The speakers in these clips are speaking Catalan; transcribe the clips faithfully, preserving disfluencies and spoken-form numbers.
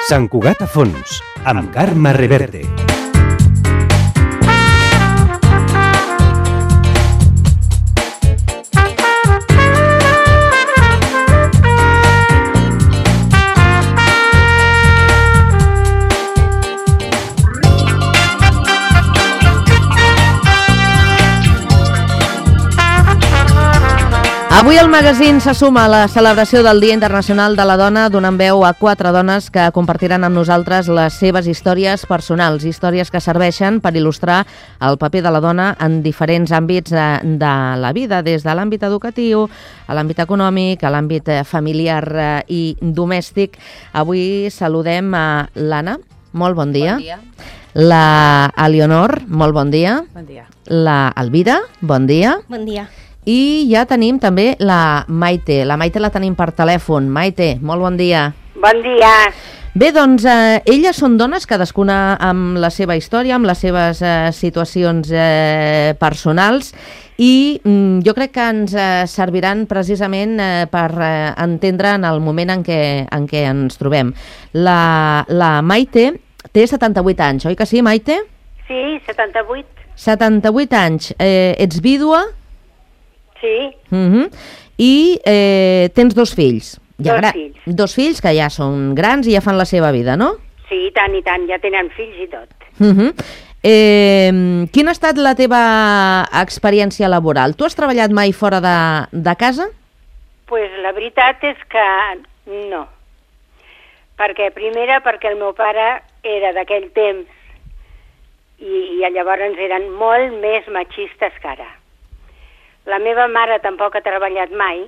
Sant Cugat a fons, amb Carme Reverte. Avui el magazín se suma a la celebració del Dia Internacional de la Dona, donant veu a quatre dones que compartiran amb nosaltres les seves històries personals, històries que serveixen per il·lustrar el paper de la dona en diferents àmbits de, de la vida, des de l'àmbit educatiu, a l'àmbit econòmic, a l'àmbit familiar i domèstic. Avui saludem a l'Anna, molt bon dia. Bon dia. La Elionor, molt bon dia. Bon dia. La Elvira, bon dia. Bon dia. I ja tenim també la Maite. La Maite la tenim per telèfon. Maite, molt bon dia. Bon dia. Bé, doncs, eh, elles són dones, cadascuna amb la seva història, amb les seves eh, situacions eh, personals, i mm, jo crec que ens eh, serviran precisament eh, per eh, entendre en el moment en què, en què ens trobem. La, la Maite té setanta-vuit anys, oi que sí, Maite? Sí, setanta-vuit. setanta-vuit anys. Eh, ets vídua? Sí. Uh-huh. I eh, tens dos fills. Ja Dos gra- fills. Dos fills que ja són grans i ja fan la seva vida, no? Sí, i tant, i tant, ja tenen fills i tot. Uh-huh. Eh, quina ha estat la teva experiència laboral? Tu has treballat mai fora de, de casa? Pues la veritat és que no. Perquè, primera, perquè el meu pare era d'aquell temps i, i llavors eren molt més machistes que ara. La meva mare tampoc ha treballat mai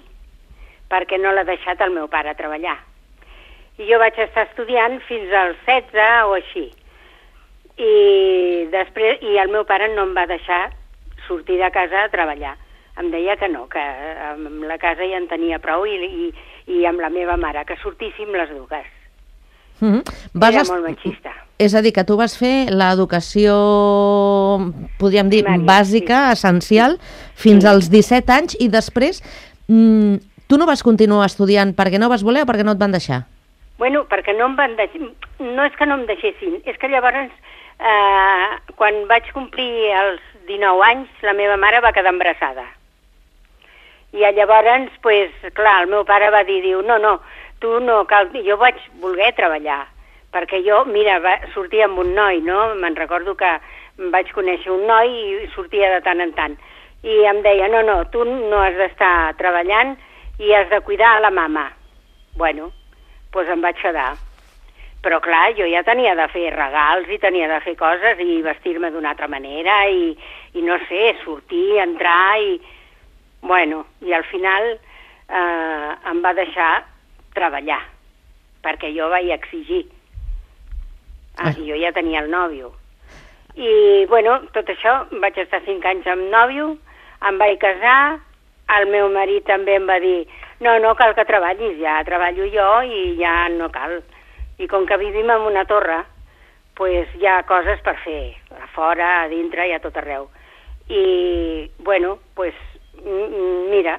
perquè no l'ha deixat el meu pare treballar. I jo vaig estar estudiant fins als setze o així. I després i el meu pare no em va deixar sortir de casa a treballar. Em deia que no, que amb la casa ja en tenia prou i, i, i amb la meva mare, que sortíssim les dues. Uh-huh. Vas Era est- molt machista. És a dir, que tu vas fer l'educació, podríem dir, Primària, bàsica, sí. essencial, fins Sí. als disset anys, i després mm, tu no vas continuar estudiant perquè no vas voler o perquè no et van deixar? Bueno, perquè no em van deixar... No és que no em deixessin, és que llavors, eh, quan vaig complir els dinou anys, la meva mare va quedar embarassada. I llavors, pues, clar, el meu pare va dir, diu, no, no, tu no cal... Jo vaig voler treballar, perquè jo, mira, va, sortia amb un noi, no? Me'n recordo que vaig conèixer un noi i sortia de tant en tant. I em deia, no, no, tu no has d'estar treballant i has de cuidar a la mama. Bueno, doncs em vaig quedar. Però clar, jo ja tenia de fer regals i tenia de fer coses i vestir-me d'una altra manera i, i no sé, sortir, entrar i... Bueno, i al final eh, em va deixar treballar, perquè jo vaig exigir. Ah, jo ja tenia el nòvio. I, bueno, tot això, vaig estar cinc anys amb nòvio, em vaig casar, el meu marit també em va dir, no, no cal que treballis, ja treballo jo i ja no cal. I com que vivim en una torre, pues hi ha coses per fer, a fora, a dintre i a tot arreu. I, bueno, pues, mira,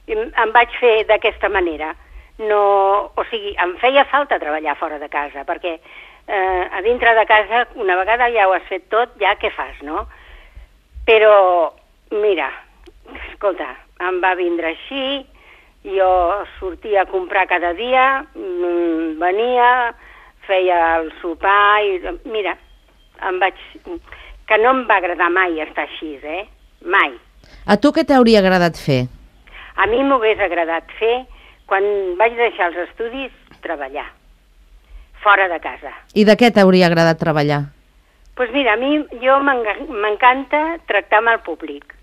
em vaig fer d'aquesta manera. No, o sigui, em feia falta treballar fora de casa, perquè eh, a dintre de casa, una vegada ja ho has fet tot, ja què fas, no? Però, mira, escolta, em va vindre així, jo sortia a comprar cada dia, venia, feia el sopar i, mira, em vaig... que no em va agradar mai estar així, eh? Mai. A tu què t'hauria agradat fer? A mi m'hagués agradat fer, quan vaig deixar els estudis, treballar, fora de casa. I de què t'hauria agradat treballar? Doncs pues mira, a mi jo m'encanta tractar amb el públic.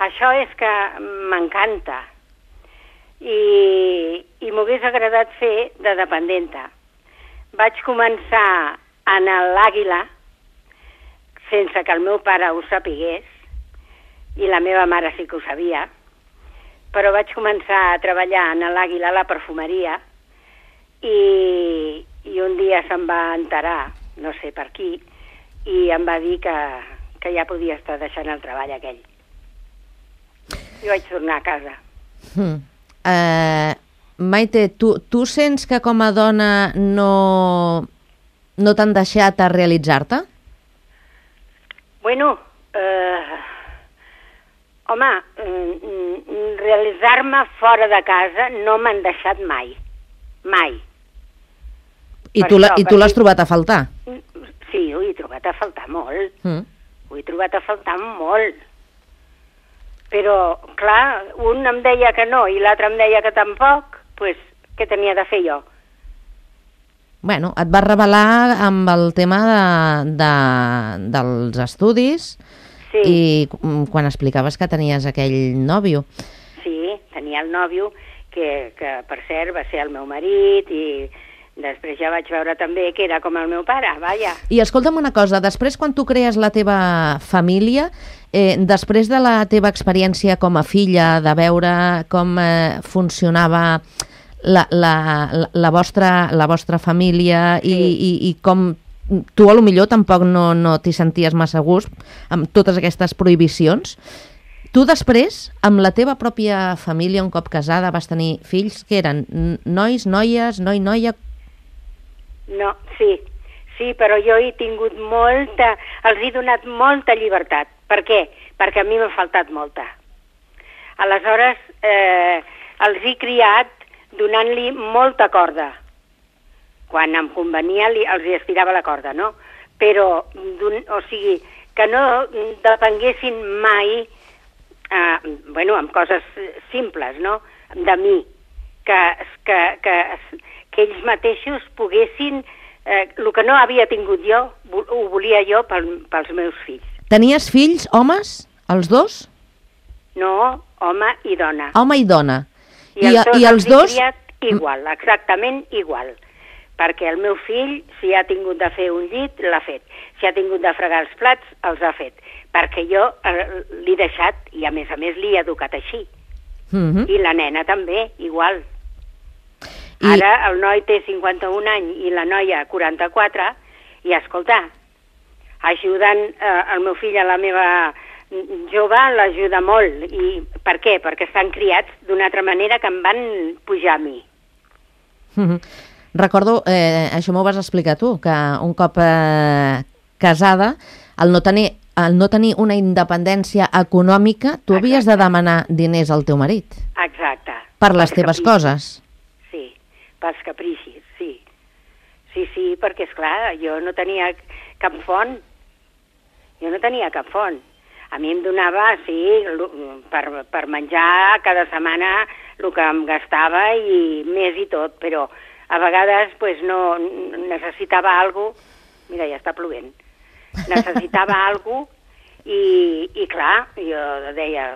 Això és que m'encanta. I, i m'hagués agradat fer de dependenta. Vaig començar en l'Àguila, sense que el meu pare ho sapigués, i la meva mare sí que ho sabia, però vaig començar a treballar en l'Àguila, a la perfumeria, i, i un dia se'm va enterar, no sé per qui, i em va dir que, que ja podia estar deixant el treball aquell. I vaig tornar a casa. Hmm. Eh, Maite, tu, tu sents que com a dona no, no t'han deixat a realitzar-te? Bueno, eh, home, mm, realitzar-me fora de casa no m'han deixat mai, mai. I Per tu, la, això, i tu l'has perquè- trobat a faltar? Sí, ho he trobat a faltar molt, Mm. ho he trobat a faltar molt. Però, clar, un em deia que no i l'altre em deia que tampoc, doncs què tenia de fer jo? Bueno, et vas revelar amb el tema de, de, dels estudis Sí, i mm, quan explicaves que tenies aquell nòvio. sí, tenia el nòvio, que, que per cert va ser el meu marit, i després ja vaig veure també que era com el meu pare, vaja. I escolta'm una cosa, després quan tu crees la teva família, eh, després de la teva experiència com a filla, de veure com eh, funcionava la, la, la, la, vostra, la vostra família i, Sí. i, i com tu a lo millor tampoc no, no t'hi senties massa a gust amb totes aquestes prohibicions, tu després, amb la teva pròpia família, un cop casada, vas tenir fills que eren n- nois, noies, noi, noia... No, sí, sí, però jo he tingut molta, els he donat molta llibertat. Per què? Perquè a mi m'ha faltat molta. Aleshores, eh, els he criat donant-li molta corda. Quan em convenia li, els hi estirava la corda, no? Però, o sigui, que no depenguessin mai, eh, bueno, amb coses simples, no?, de mi, que, que, que, que ells mateixos poguessin, eh, el que no havia tingut jo, ho volia jo pel, pels meus fills. Tenies fills, homes, els dos? No, home i dona. Home i dona. I, els dos i els els he dos... criat igual, exactament igual. Perquè el meu fill, si ha tingut de fer un llit, l'ha fet. Si ha tingut de fregar els plats, els ha fet. Perquè jo eh, l'he deixat i, a més a més, l'he educat així. Mm-hmm. I la nena també, igual. I... Ara el noi té cinquanta-un anys i la noia quaranta-quatre, i escolta, ajudant eh, el meu fill a la meva jove, l'ajuda molt. I per què? Perquè estan criats d'una altra manera que em van pujar a mi. Mm-hmm. Recordo, eh, això m'ho vas explicar tu, que un cop eh, casada, el no tenir, el no tenir una independència econòmica, tu Exacte. havies de demanar diners al teu marit Exacte. per les Pels teves capricis. coses. Sí, pels capricis, sí. Sí, sí, perquè, és clar, jo no tenia cap font. Jo no tenia cap font. A mi em donava, sí, per, per menjar cada setmana el que em gastava i més i tot, però a vegades pues, no necessitava alguna cosa, mira, ja està plovent, necessitava alguna cosa i, i clar, jo deia,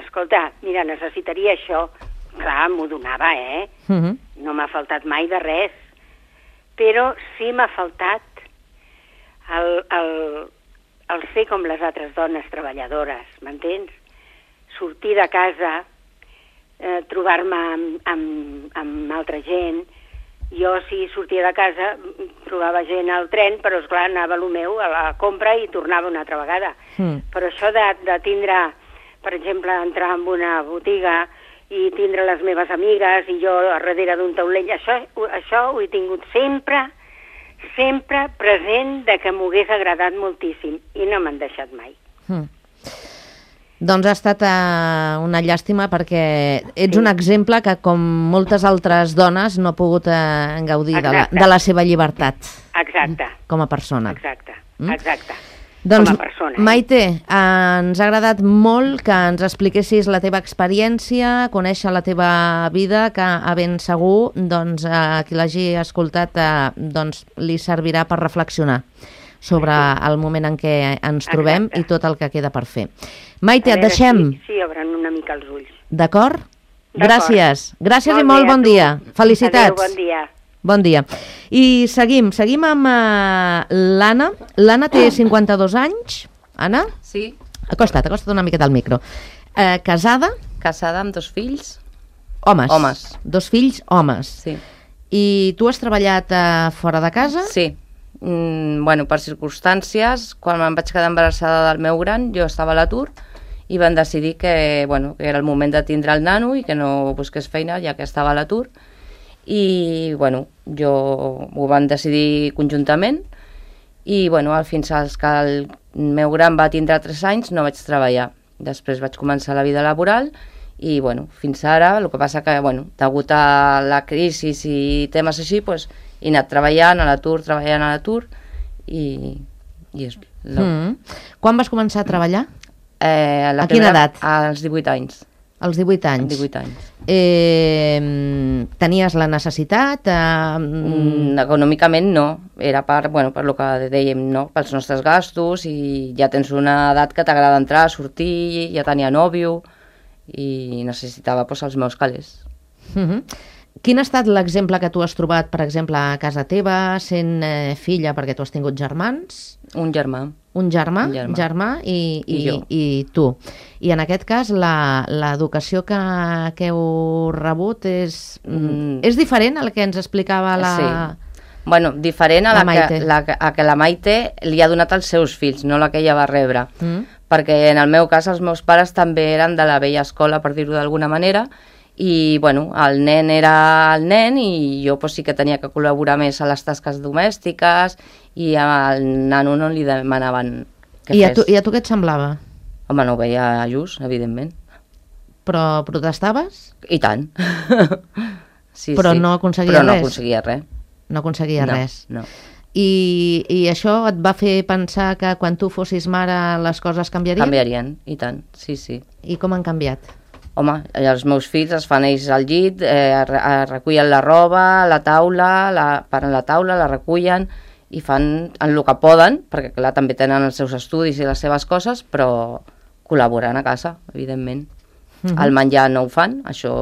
escolta, mira, necessitaria això, clar, m'ho donava, eh? Mm-hmm. No m'ha faltat mai de res, però sí m'ha faltat el, el, el ser com les altres dones treballadores, m'entens? Sortir de casa, eh, trobar-me amb, amb, amb altra gent. Jo, si sortia de casa, trobava gent al tren, però, esclar, anava a lo meu, a la compra, i tornava una altra vegada. Mm. Però això de, de tindre, per exemple, entrar en una botiga i tindre les meves amigues i jo a darrere d'un taulell, això, això ho he tingut sempre, sempre present de que m'ho hagués agradat moltíssim i no m'han deixat mai. Mm. Doncs ha estat eh, una llàstima perquè ets Sí. un exemple que, com moltes altres dones, no ha pogut eh, gaudir de la, Exacte. de la seva llibertat Exacte, com a persona. exacte, Mm? exacte. Doncs, com a persona. Eh? Maite, eh, ens ha agradat molt que ens expliquessis la teva experiència, conèixer la teva vida, que a ben segur doncs, a qui l'hagi escoltat eh, doncs, li servirà per reflexionar sobre el moment en què ens trobem Exacte. i tot el que queda per fer. Maite, A et veure deixem, Si, si obren una mica els ulls. d'acord? D'acord. Gràcies. Gràcies Molt i molt bé, a bon tu. dia. Felicitats. Adéu, bon dia. Bon dia. I seguim, seguim amb uh, l'Anna. L'Anna té cinquanta-dos anys. Anna? Sí, Acosta't, acosta't una miqueta al micro. Eh, casada? casada amb dos fills. Homes. Homes. Dos fills, homes. Sí. I tu has treballat eh, fora de casa? Sí. Mm, bueno, per circumstàncies, quan me'n vaig quedar embarassada del meu gran, jo estava a l'atur i van decidir que, bueno, que era el moment de tindre el nano i que no busqués feina ja que estava a l'atur. I bueno, jo ho van decidir conjuntament i bueno, fins que el meu gran va tindre tres anys no vaig treballar. Després vaig començar la vida laboral i bueno, fins ara, el que passa que bueno, degut a la crisi i temes així, pues, he anat treballant a l'atur, treballant a l'atur i, i és... No. Mm. Quan vas començar a treballar? Eh, a quina edat? Als divuit anys. Als divuit anys? divuit anys. Eh, tenies la necessitat? Eh... Mm, econòmicament no, era per, bueno, per lo que dèiem, no? Pels nostres gastos i ja tens una edat que t'agrada entrar, sortir, ja tenia nòvio i necessitava pues, els meus calés. Uh-huh. Quin ha estat l'exemple que tu has trobat, per exemple, a casa teva, sent eh, filla, perquè tu has tingut germans? Un germà. Un germà, un germà. germà i, i, I, i tu. I en aquest cas, l'educació que, que heu rebut és, mm. és diferent a la que ens explicava la... Sí. Bueno, diferent a la, la, que, la, a que la Maite li ha donat als seus fills, no la que ella va rebre. Mm. Perquè en el meu cas els meus pares també eren de la vella escola, per dir-ho d'alguna manera, i bueno, el nen era el nen i jo pues, sí que tenia que col·laborar més a les tasques domèstiques i al nano no li demanaven que I fes. A tu, I a tu què et semblava? Home, no ho veia just, evidentment. Però protestaves? I tant. sí, Però sí. no aconseguia Però no res? aconseguia res. No aconseguia no, res? No, I, I això et va fer pensar que quan tu fossis mare les coses canviarien? Canviarien, i tant, sí, sí. I com han canviat? Home, els meus fills es fan ells al llit, eh, recullen la roba, la taula, la, paren la taula, la recullen i fan en el que poden, perquè clar, també tenen els seus estudis i les seves coses, però col·laboren a casa, evidentment. Uh-huh. El menjar no ho fan, això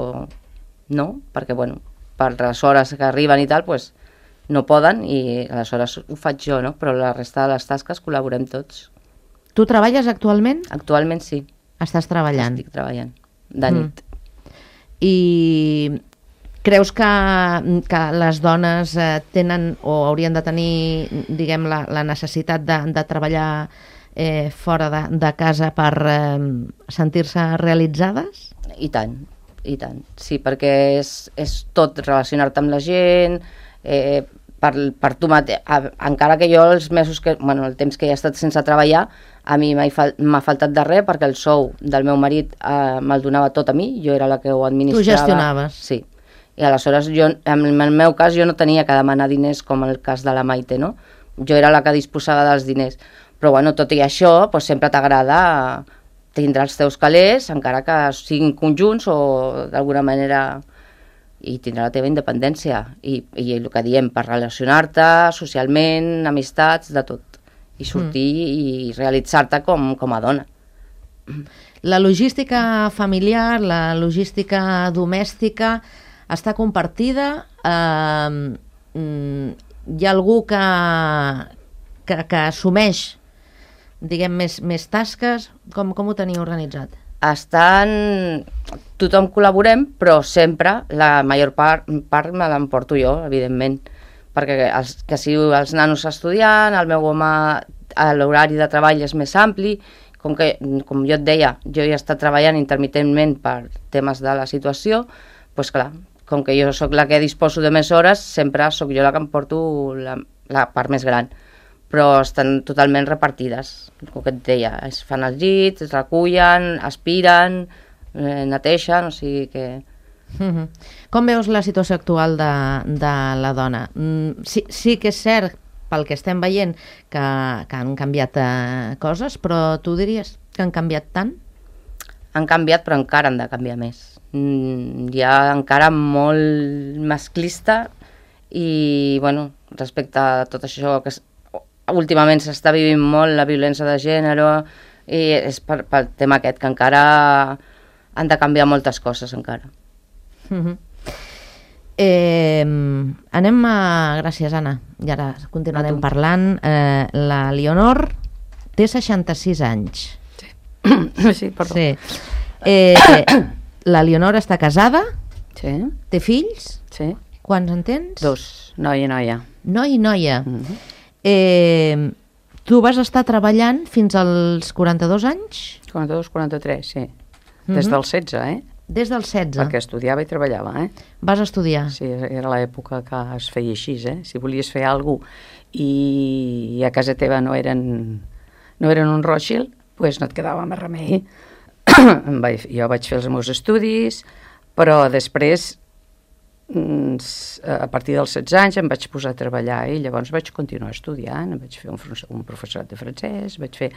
no, perquè bueno, per les hores que arriben i tal, pues, no poden i aleshores ho faig jo, no? Però la resta de les tasques col·laborem tots. Tu treballes actualment? Actualment sí. Estàs treballant? Estic treballant. De nit. Mm. I creus que, que les dones eh, tenen o haurien de tenir, diguem, la, la necessitat de, de treballar eh, fora de, de casa per eh, sentir-se realitzades? I tant, i tant. Sí, perquè és, és tot relacionar-te amb la gent, eh, per, per tu mateix. Encara que jo els mesos que, bueno, el temps que he estat sense treballar, a mi m'ha fal, faltat de res perquè el sou del meu marit eh, me'l donava tot a mi, jo era la que ho administrava. Tu gestionaves. Sí. I aleshores, jo, en el meu cas, jo no tenia que demanar diners com el cas de la Maite, no? Jo era la que disposava dels diners. Però, bueno, tot i això, pues, sempre t'agrada tindre els teus calés, encara que siguin conjunts o d'alguna manera... i tindrà la teva independència. I, i el que diem, per relacionar-te socialment, amistats, de tot. I sortir mm. i realitzar-te com, com a dona. La logística familiar, la logística domèstica està compartida? Eh, hi ha algú que, que, que assumeix, diguem, més, més tasques? Com, com ho teniu organitzat? Estan... Tothom col·laborem, però sempre la major part, part me l'emporto jo, evidentment, perquè els, que si els nanos estudiant, el meu home, l'horari de treball és més ampli, com, que, com jo et deia, jo he estat treballant intermitentment per temes de la situació, doncs clar, com que jo sóc la que disposo de més hores, sempre sóc jo la que em porto la, la part més gran. Però estan totalment repartides, com que et deia, es fan els llits, es recullen, aspiren, eh, neteixen, o sigui que... Mm-hmm. Com veus la situació actual de, de la dona? Mm, sí, sí que és cert, pel que estem veient, que, que han canviat eh, coses, però tu diries que han canviat tant? Han canviat, però encara han de canviar més. Mm, hi ha encara molt masclista i, bueno, respecte a tot això que últimament s'està vivint molt la violència de gènere i és per, pel tema aquest, que encara han de canviar moltes coses encara. Mm-hmm. eh, anem a... Gràcies, Anna. I ara continuarem parlant. Eh, la Leonor té seixanta-sis anys. Sí, sí, perdó. Sí. Eh, la Leonor està casada? Sí. Té fills? Sí. Quants en tens? Dos, noia i noia. Noi i noia. Mm-hmm. Eh, tu vas estar treballant fins als quaranta-dos anys? quaranta-dos quaranta-tres, sí. Des Mhm. del setze, eh? Des dels setze. Perquè estudiava i treballava, eh? Vas estudiar. Sí, era l'època que es feia així, eh? Si volies fer alguna cosa i a casa teva no eren, no eren un Rothschild, doncs no et quedava més remei. Jo vaig fer els meus estudis, però després, a partir dels setze anys, em vaig posar a treballar i llavors vaig continuar estudiant, vaig fer un, un professorat de francès, vaig fer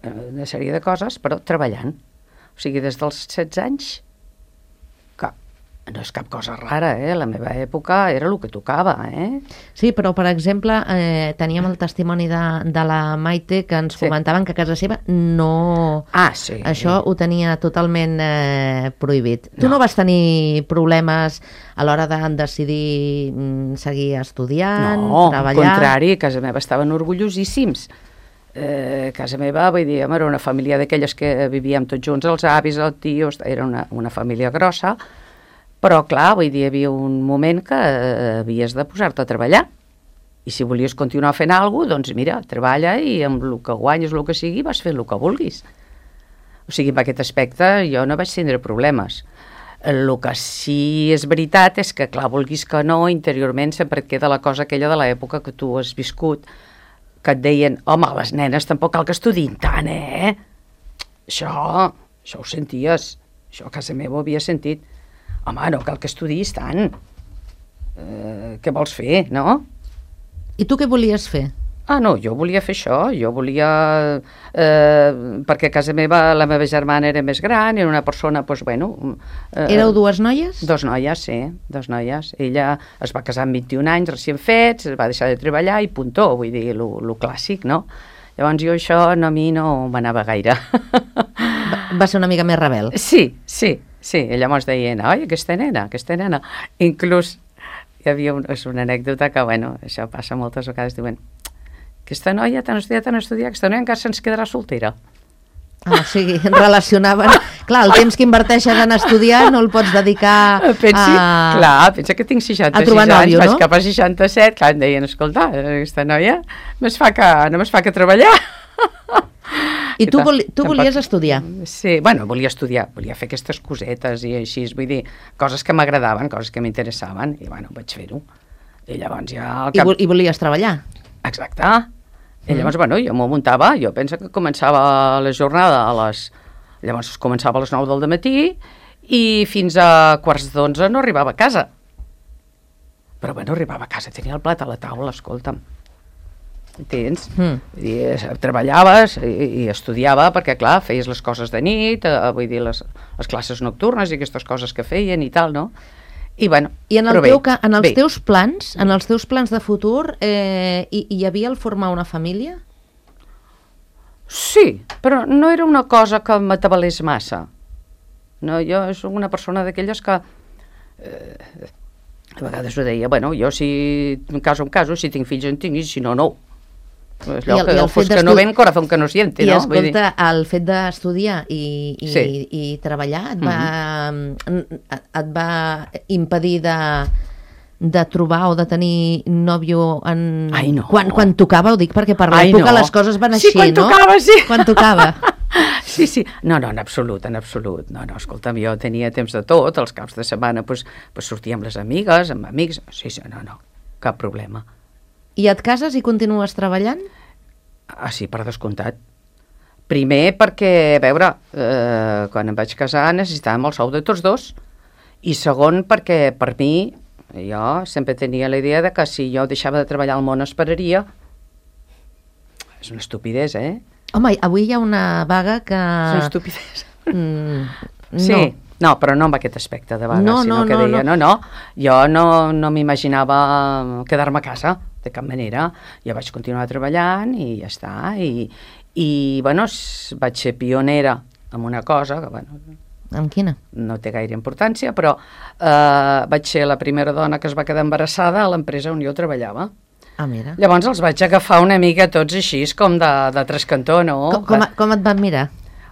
una sèrie de coses, però treballant. O sigui, des dels setze anys, que no és cap cosa rara, eh? La meva època era el que tocava, eh? Sí, però, per exemple, eh, teníem el testimoni de, de la Maite que ens Sí. comentaven que a casa seva no... Ah, sí. Això ho tenia totalment eh, prohibit. Tu No. no vas tenir problemes a l'hora de decidir mm, seguir estudiant, No, al treballar? contrari, a casa meva estaven orgullosíssims. Eh, casa meva, vull dir, era una família d'aquelles que vivíem tots junts, els avis, els tios, era una, una família grossa, però clar, vull dir, hi havia un moment que eh, havies de posar-te a treballar, i si volies continuar fent alguna cosa, doncs mira, treballa i amb el que guanyes, el que sigui, vas fer el que vulguis. O sigui, en aquest aspecte jo no vaig tindre problemes. El que sí és veritat és que, clar, vulguis que no, interiorment sempre et queda la cosa aquella de l'època que tu has viscut, que et deien, home, les nenes tampoc cal que estudin tant, eh? Això, això ho senties, això a casa meva ho havia sentit. Home, no cal que estudiïs tant. Eh, què vols fer, no? I tu què volies fer? Ah, no, jo volia fer això, jo volia... Eh, perquè a casa meva la meva germana era més gran, era una persona, doncs, bueno... Eh, Éreu dues noies? Dos noies, sí, dos noies. Ella es va casar amb vint-i-un anys, recient fets, va deixar de treballar i puntó, vull dir, lo clàssic, no? Llavors jo això no, a mi no m'anava gaire. Va, va ser una mica més rebel. Sí, sí, sí. I llavors deien, oi, aquesta nena, aquesta nena. Inclús hi havia un, és una anècdota que, bueno, això passa moltes vegades, diuen, aquesta noia tan estudiat, tan estudiat, aquesta noia encara se'ns quedarà soltera. Ah, o sigui, relacionaven... Clar, el temps que inverteixes en estudiar no el pots dedicar Pensi, a... clar, pensa que tinc seixanta-sis a trobar anys, nòvio, vaig no? cap a seixanta-set, clar, em deien, escolta, aquesta noia només fa que, només fa que treballar. I tu, tal, voli, tu tampoc- volies estudiar? Sí, bueno, volia estudiar, volia fer aquestes cosetes i així, vull dir, coses que m'agradaven, coses que m'interessaven, i bueno, vaig fer-ho. I llavors ja... Al I, cap... vol, I volies treballar? Exacte. I llavors, bueno, jo m'ho muntava, jo penso que començava la jornada a les... Llavors començava a les nou del matí i fins a quarts d'onze no arribava a casa. Però bueno, arribava a casa, tenia el plat a la taula, escolta'm. Entens? Mm. Vull dir, eh, treballaves i, i estudiava perquè, clar, feies les coses de nit, eh, vull dir, les, les classes nocturnes i aquestes coses que feien i tal, no? I, bueno, I en, el però bé, teu, ca- en els bé. teus plans, en els teus plans de futur, eh, hi, hi havia el formar una família? Sí, però no era una cosa que m'atabalés massa. No, jo soc una persona d'aquelles que eh, a vegades ho deia, bueno, jo si em caso, em caso, si tinc fills en tinc, i si no, no. És allò I el- que i el el fos fet que no d'estu- ven, corazón que no siente, I no? escolta, el fet d'estudiar i, i, Sí. i treballar et va, et va impedir de, de trobar o de tenir nòvio en... Ai, no. Quan, quan tocava, ho dic perquè per Ai, l'època no. les coses van Sí, així, quan no? tocava, sí. Quan tocava. Sí, sí. No, no, en absolut, en absolut. No, no, escolta'm, jo tenia temps de tot, els caps de setmana pues, pues sortia amb les amigues, amb amics, sí, sí, no, no, cap problema. I et cases i continues treballant? Ah, sí, per descomptat. Primer perquè, a veure, eh, quan em vaig casar necessitàvem el sou de tots dos, i segon perquè per mi, jo sempre tenia la idea de que si jo deixava de treballar al món esperaria. És una estupidesa, eh? Home, avui hi ha una vaga que... És una estupidesa. Mm, Sí, no. no, però no amb aquest aspecte de vaga, No, sinó no, que no, deia, no. no, no, jo no, no m'imaginava quedar-me a casa, de cap manera. Jo vaig continuar treballant i ja està, i, i bueno, s- vaig ser pionera en una cosa, que bueno, Amb quina? no té gaire importància, però eh, vaig ser la primera dona que es va quedar embarassada a l'empresa on jo treballava. Ah, mira. Llavors els vaig agafar una mica tots així, com de, de trascantó, no? Com, com, com et van mirar?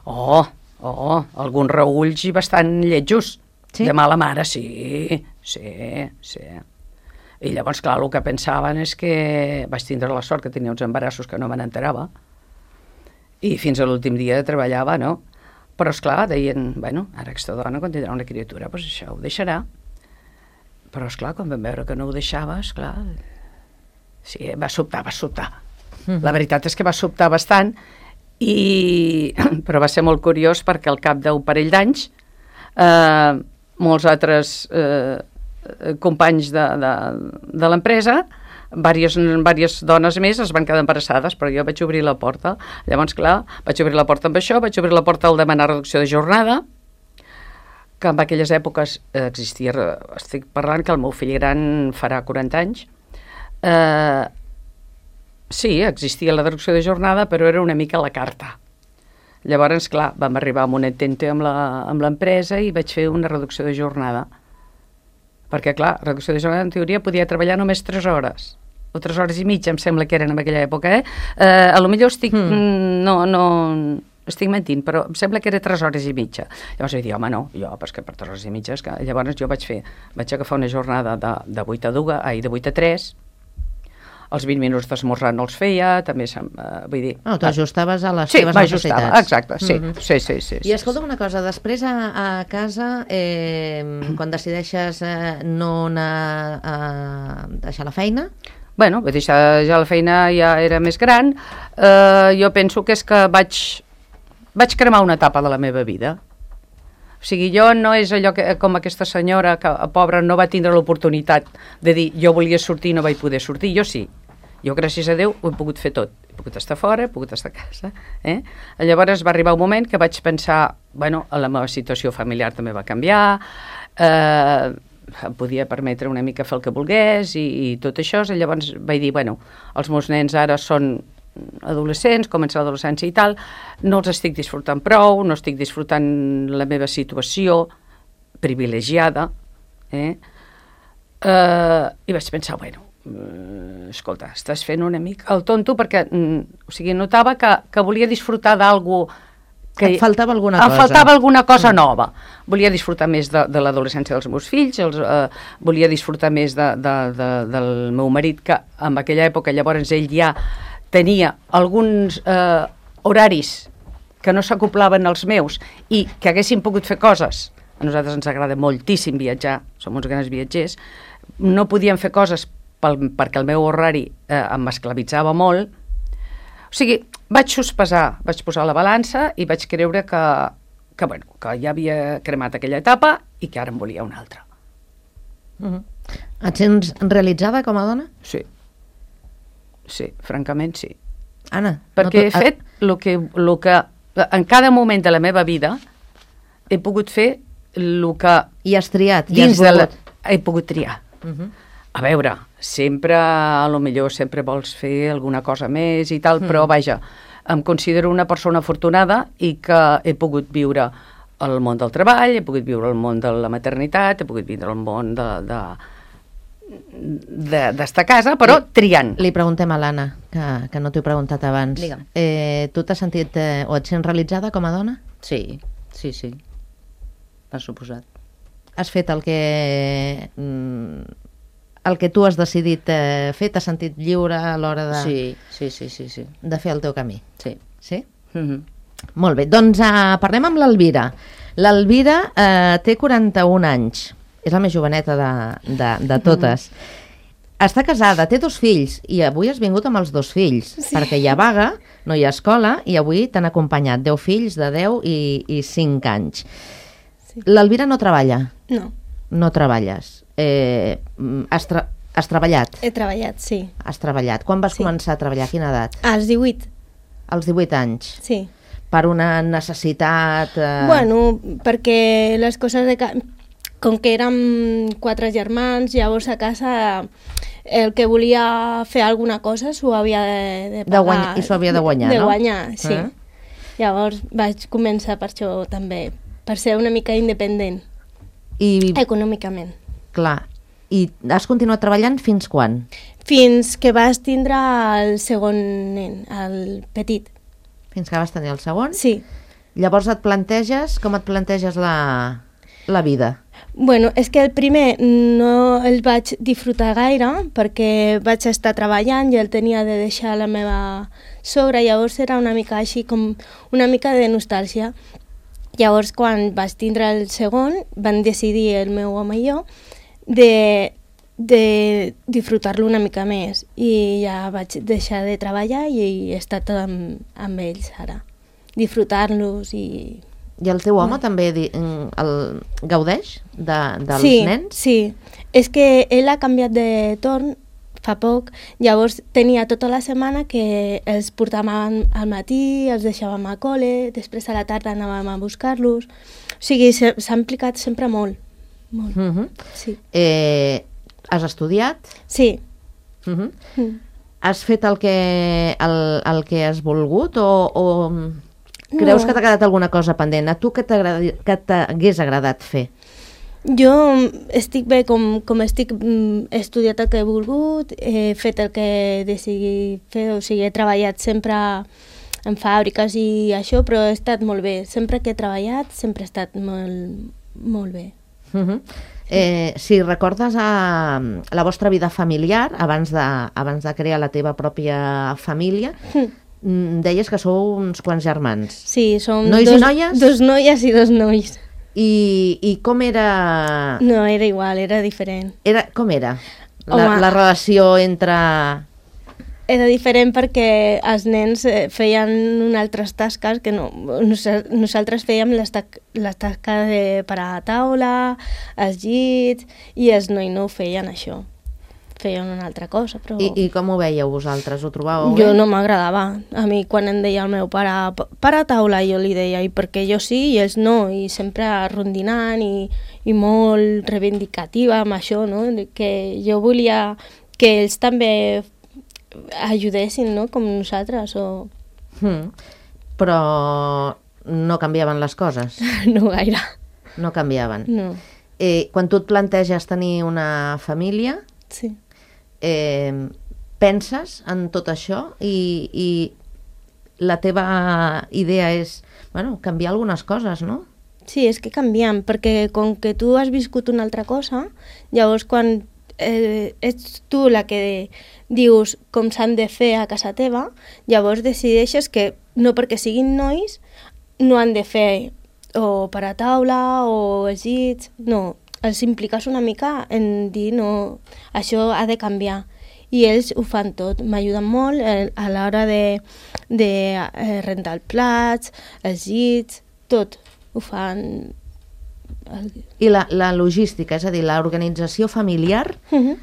Oh, oh, alguns reulls i bastant lletjos. Sí? De mala mare, sí, sí, sí. I llavors, clar, el que pensaven és que vaig tindre la sort que tenia uns embarassos que no me n'enterava, i fins a l'últim dia treballava, no? Però, esclar, deien, bueno, ara aquesta dona, quan tindrà una criatura, doncs això ho deixarà. Però, esclar, quan vam veure que no ho deixava, esclar, sí, va sobtar, va sobtar. Mm-hmm. La veritat és que va sobtar bastant, i... però va ser molt curiós perquè al cap d'un parell d'anys eh, molts altres eh, companys de, de, de l'empresa, Vàries, vàries dones més es van quedar embarassades, però jo vaig obrir la porta. Llavors, clar, vaig obrir la porta amb això, vaig obrir la porta al demanar reducció de jornada, que en aquelles èpoques eh, existia, estic parlant que el meu fill gran farà quaranta anys, eh, sí, existia la reducció de jornada, però era una mica a la carta. Llavors, clar, vam arribar a un entente amb l'empresa i vaig fer una reducció de jornada. Perquè, clar, reducció de jornada, en teoria, podia treballar només tres hores. O tres hores i mitja, em sembla que eren en aquella època, eh? eh a lo millor estic... Mm. No, no... Estic mentint, però em sembla que era tres hores i mitja. Llavors vaig dir, home, no, jo, perquè per tres hores i mitja... És que... Llavors jo vaig fer... Vaig agafar una jornada de, de vuit a dos, ai, de vuit a tres, els vint minuts d'esmorzar no els feia, també, eh, vull dir... No, t'ajustaves a les sí, teves necessitats. Sí, exacte, sí, mm-hmm. sí, sí, sí. I escolta'm una cosa, després a, a casa, eh, quan decideixes eh, no anar a deixar la feina... Bueno, vaig deixar ja la feina, ja era més gran, eh, jo penso que és que vaig, vaig cremar una etapa de la meva vida. O sigui, jo no és allò que, com aquesta senyora, que pobra no va tindre l'oportunitat de dir jo volia sortir i no vaig poder sortir, jo sí. Jo, gràcies a Déu, ho he pogut fer tot. He pogut estar fora, he pogut estar a casa. Eh? Llavors va arribar un moment que vaig pensar, bueno, la meva situació familiar també va canviar, eh, em podia permetre una mica fer el que volgués i, i tot això. I llavors vaig dir, bueno, els meus nens ara són adolescents, comença l'adolescència i tal, no els estic disfrutant prou, no estic disfrutant la meva situació privilegiada, eh? Eh, i vaig pensar, bueno, eh, escolta, estàs fent una mica el tonto, perquè mm, o sigui, notava que, que volia disfrutar d'algú que... Et faltava alguna em cosa. Em faltava alguna cosa nova. Volia disfrutar més de, de l'adolescència dels meus fills, els, eh, volia disfrutar més de, de, de, del meu marit, que en aquella època llavors ell ja tenia alguns eh, horaris que no s'acoplaven als meus i que haguessin pogut fer coses. A nosaltres ens agrada moltíssim viatjar, som uns grans viatgers, no podíem fer coses pel, perquè el meu horari eh, em esclavitzava molt. O sigui, vaig sospesar, vaig posar la balança i vaig creure que, que, bueno, que ja havia cremat aquella etapa i que ara en volia una altra. Uh-huh. Et sents realitzada com a dona? Sí. Sí, francament sí. Anna, perquè no he fet el que, lo que en cada moment de la meva vida he pogut fer el que i has triat, i dins has de la, volgut. he pogut triar. Uh-huh. A veure, sempre, a lo millor sempre vols fer alguna cosa més i tal, uh-huh. però vaja, em considero una persona afortunada i que he pogut viure el món del treball, he pogut viure el món de la maternitat, he pogut viure el món de... de d'estar a casa, però li, triant. Li preguntem a l'Anna, que, que no t'ho he preguntat abans. Eh, tu t'has sentit eh, o et sents realitzada com a dona? Sí, sí, sí. Per suposat. Has fet el que el que tu has decidit eh, fer? T'has sentit lliure a l'hora de... Sí, sí, sí, sí, sí. De fer el teu camí? Sí. Sí? Mm-hmm. Molt bé, doncs uh, parlem amb l'Elvira. L'Elvira uh, té quaranta-un anys. És la més joveneta de, de, de totes. Mm. Està casada, té dos fills, i avui has vingut amb els dos fills, sí. perquè hi ha vaga, no hi ha escola, i avui t'han acompanyat deu fills de deu i, i cinc anys. Sí. L'Elvira no treballa? No. No treballes. Eh, has, tra has treballat? He treballat, sí. Has treballat. Quan vas sí. començar a treballar? A quina edat? Als divuit. Als divuit anys? Sí. Per una necessitat... Eh... Bueno, perquè les coses de... Com que érem quatre germans, llavors a casa el que volia fer alguna cosa s'ho havia de, de pagar. De guanyar, I s'ho havia de guanyar, de, no? De guanyar, sí. Eh? Llavors vaig començar per això també, per ser una mica independent, I, econòmicament. Clar. I has continuat treballant fins quan? Fins que vas tindre el segon nen, el petit. Fins que vas tenir el segon? Sí. Llavors et planteges, com et planteges la, la vida? Bueno, és que el primer no el vaig disfrutar gaire perquè vaig estar treballant i el tenia de deixar la meva sogra, llavors era una mica així com una mica de nostàlgia. Llavors, quan vaig tindre el segon, van decidir el meu home i jo de, de disfrutar-lo una mica més i ja vaig deixar de treballar i he estat amb, amb ells ara, disfrutar-los i... I el teu home també di- el gaudeix de, dels sí, nens? Sí, és que ell ha canviat de torn fa poc, llavors tenia tota la setmana que els portàvem al matí, els deixàvem a col·le, després a la tarda anàvem a buscar-los, o sigui, s'ha implicat sempre molt, molt, Uh -huh. sí. eh, has estudiat? Sí. Uh -huh. Mm. Has fet el que, el, el que has volgut o, o creus No. que t'ha quedat alguna cosa pendent? A tu què t'agradi- què t'hagués agradat fer? Jo estic bé com, com estic, mm, he estudiat el que he volgut, he fet el que decidí fer, o sigui, he treballat sempre en fàbriques i això, però he estat molt bé. Sempre que he treballat, sempre he estat molt, molt bé. Uh -huh. eh, si recordes a, la vostra vida familiar, abans de, abans de crear la teva pròpia família, mm, deies que sou uns quants germans. Sí, som Nois dos, i noies? dos noies i dos nois. I, i com era... No, era igual, era diferent. era com era la, Home. la relació entre... Era diferent perquè els nens eh, feien unes altres tasques que no... Nos- Nosaltres fèiem les, ta les tasques de parar a taula, els llits, i els nois no ho feien això. Feien una altra cosa, però... I, I com ho veieu vosaltres? Ho trobàveu Jo bé? no m'agradava. A mi quan em deia el meu pare para a taula, jo li deia, i perquè jo sí i ells no, i sempre rondinant i, i molt reivindicativa amb això, no? Que jo volia que ells també ajudessin, no? Com nosaltres, o... Mm. Però no canviaven les coses, no gaire. no canviaven. No, Eh, quan tu et planteges tenir una família, sí. eh, penses en tot això i, i la teva idea és, bueno, canviar algunes coses, no? Sí, és que canviem, perquè com que tu has viscut una altra cosa, llavors quan eh, ets tu la que dius com s'han de fer a casa teva, llavors decideixes que no perquè siguin nois no han de fer o per a taula o els llits, no, els impliques una mica en dir no, això ha de canviar. I ells ho fan tot, m'ajuden molt eh, a l'hora de, de eh, rentar els plats, els llits, tot ho fan. I la, la logística, és a dir, l'organització familiar, Uh-huh.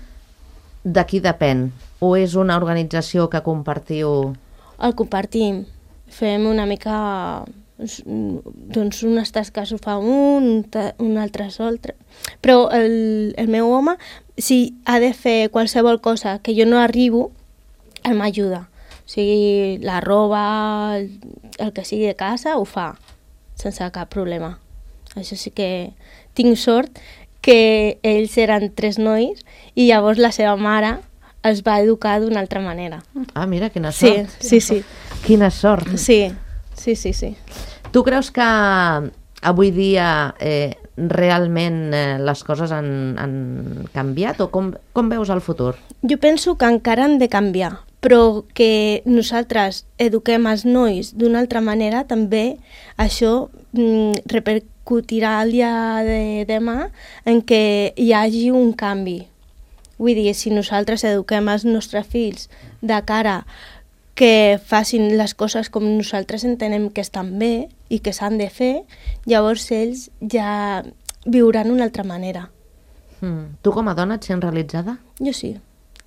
de qui depèn? O és una organització que compartiu? El compartim, fem una mica, doncs unes tasques ho fa un, ta- un altre altre. Però el, el meu home, si ha de fer qualsevol cosa que jo no arribo, ell m'ajuda. O sigui, la roba, el, el que sigui de casa, ho fa, sense cap problema. Això sí que tinc sort que ells eren tres nois i llavors la seva mare els va educar d'una altra manera. Ah, mira, quina Sí, sort. sí, sí. Quina sort. Sí, sí, sí, sí. Tu creus que avui dia eh, realment eh, les coses han, han canviat o com, com veus el futur? Jo penso que encara han de canviar, però que nosaltres eduquem els nois d'una altra manera, també això mm, repercutirà el dia de demà en què hi hagi un canvi. Vull dir, si nosaltres eduquem els nostres fills de cara que facin les coses com nosaltres entenem que estan bé i que s'han de fer, llavors ells ja viuran d'una altra manera. Mm. Tu com a dona et sents realitzada? Jo sí,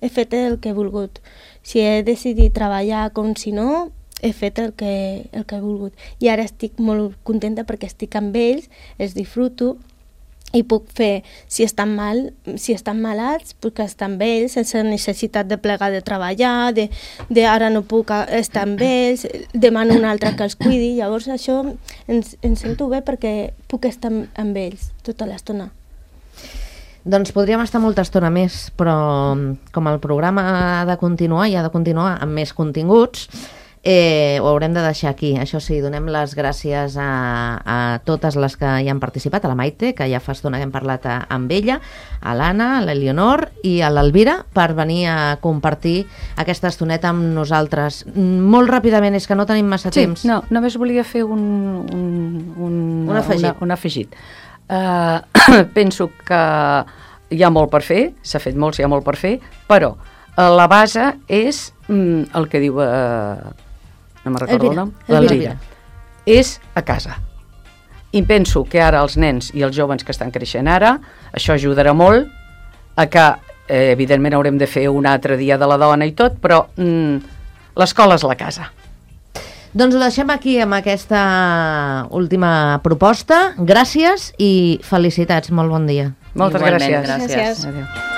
he fet el que he volgut. Si he decidit treballar com si no, he fet el que, el que he volgut. I ara estic molt contenta perquè estic amb ells, els disfruto i puc fer, si estan mal, si estan malats, puc estar amb ells sense necessitat de plegar de treballar, de, de ara no puc estar amb ells, demano un altre que els cuidi, llavors això ens, ens sento bé perquè puc estar amb, amb ells tota l'estona. Doncs podríem estar molta estona més, però com el programa ha de continuar i ha de continuar amb més continguts, Eh, ho haurem de deixar aquí, això sí, donem les gràcies a, a totes les que hi han participat, a la Maite, que ja fa estona que hem parlat a, amb ella, a l'Anna, a l'Eleonor i a l'Elvira per venir a compartir aquesta estoneta amb nosaltres. Molt ràpidament, és que no tenim massa sí, temps. No, només volia fer un, un, un, un afegit. Una, un afegit. Uh, penso que hi ha molt per fer, s'ha fet molt, hi ha molt per fer, però uh, la base és mm, el que diu... Uh, no me'n recordo el nom, l'Elvira, és a casa. I penso que ara els nens i els joves que estan creixent ara, això ajudarà molt a que, eh, evidentment haurem de fer un altre dia de la dona i tot, però mm, l'escola és la casa. Doncs ho deixem aquí amb aquesta última proposta. Gràcies i felicitats, molt bon dia. Moltes Igualment, gràcies. gràcies. Gràcies. Adéu.